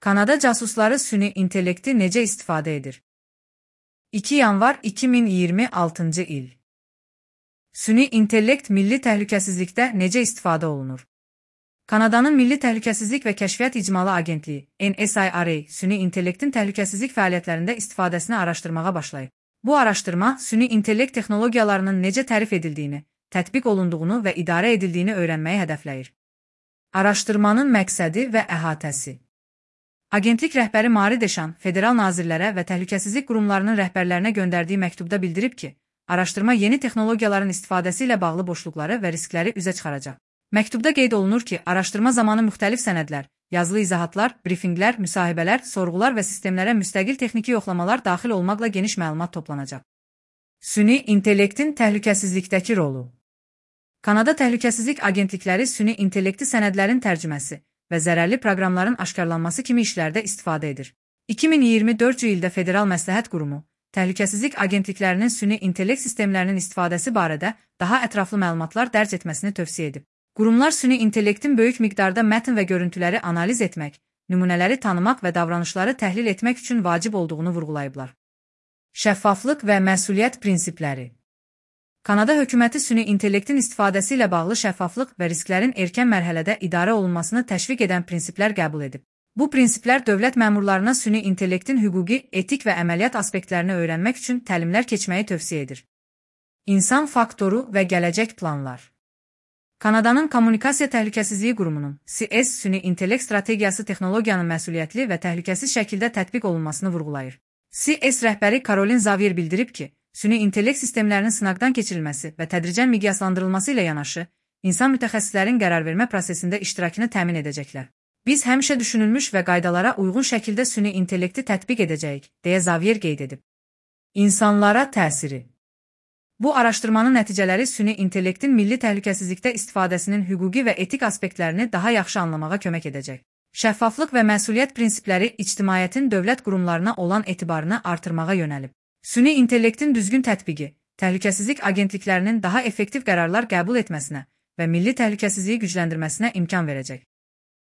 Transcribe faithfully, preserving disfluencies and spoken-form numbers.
Kanada casusları süni intellekti necə istifadə edir? iki yanvar iki min iyirmi altıncı il. Süni intellekt milli təhlükəsizlikdə necə istifadə olunur? Kanadanın Milli Təhlükəsizlik və Kəşfiyyat İcmalı Agentliyi N S I R A süni intellektin təhlükəsizlik fəaliyyətlərində istifadəsini araşdırmağa başlayıb. Bu araşdırma süni intellekt texnologiyalarının necə tərif edildiyini, tətbiq olunduğunu və idarə edildiyini öyrənməyi hədəfləyir. Araşdırmanın məqsədi və əhatəsi. Agentlik rəhbəri Mari Deşan federal nazirlərə və təhlükəsizlik qurumlarının rəhbərlərinə göndərdiyi məktubda bildirib ki, araşdırma yeni texnologiyaların istifadəsi ilə bağlı boşluqları və riskləri üzə çıxaracaq. Məktubda qeyd olunur ki, araşdırma zamanı müxtəlif sənədlər, yazılı izahatlar, brifinqlər, müsahibələr, sorğular və sistemlərə müstəqil texniki yoxlamalar daxil olmaqla geniş məlumat toplanacaq. Süni intellektin təhlükəsizlikdəki rolu. Kanada Təhlükəsizlik Agentlikləri süni intellekti sənədlərin tərcüməsi və zərərli proqramların aşkarlanması kimi işlərdə istifadə edir. iki min iyirmi dördüncü ildə Federal Məsləhət Qurumu, Təhlükəsizlik Agentliklərinin süni intellekt sistemlərinin istifadəsi barədə daha ətraflı məlumatlar dərc etməsini tövsiyə edib. Qurumlar süni intellektin böyük miqdarda mətn və görüntüləri analiz etmək, nümunələri tanımaq və davranışları təhlil etmək üçün vacib olduğunu vurğulayıblar. Şəffaflıq və məsuliyyət prinsipləri. Kanada hökuməti süni intellektin istifadəsi ilə bağlı şəffaflıq və risklərin erkən mərhələdə idarə olunmasını təşviq edən prinsiplər qəbul edib. Bu prinsiplər dövlət məmurlarına süni intellektin hüquqi, etik və əməliyyat aspektlərini öyrənmək üçün təlimlər keçməyi tövsiyə edir. İnsan faktoru və gələcək planlar. Kanadanın Kommunikasiya Təhlükəsizliyi Qurumunun C S süni intellekt strategiyası texnologiyanın məsuliyyətli və təhlükəsiz şəkildə tətbiq olunmasını vurğulayır. C S rəhbəri Caroline Xavier bildirib ki, süni intellekt sistemlərinin sınaqdan keçirilməsi və tədricən miqyaslandırılması ilə yanaşı, insan mütəxəssislərin qərarvermə prosesində iştirakını təmin edəcəklər. Biz həmişə düşünülmüş və qaydalara uyğun şəkildə süni intellekti tətbiq edəcəyik, deyə Xavier qeyd edib. İnsanlara təsiri. Bu araşdırmanın nəticələri süni intellektin milli təhlükəsizlikdə istifadəsinin hüquqi və etik aspektlərini daha yaxşı anlamağa kömək edəcək. Şəffaflıq və məsuliyyət prinsipləri ictimaiyyətin dövlət qurumlarına olan etibarını artırmağa yönəlib. Süni intellektin düzgün tətbiqi, təhlükəsizlik agentliklərinin daha effektiv qərarlar qəbul etməsinə və milli təhlükəsizliyi gücləndirməsinə imkan verəcək.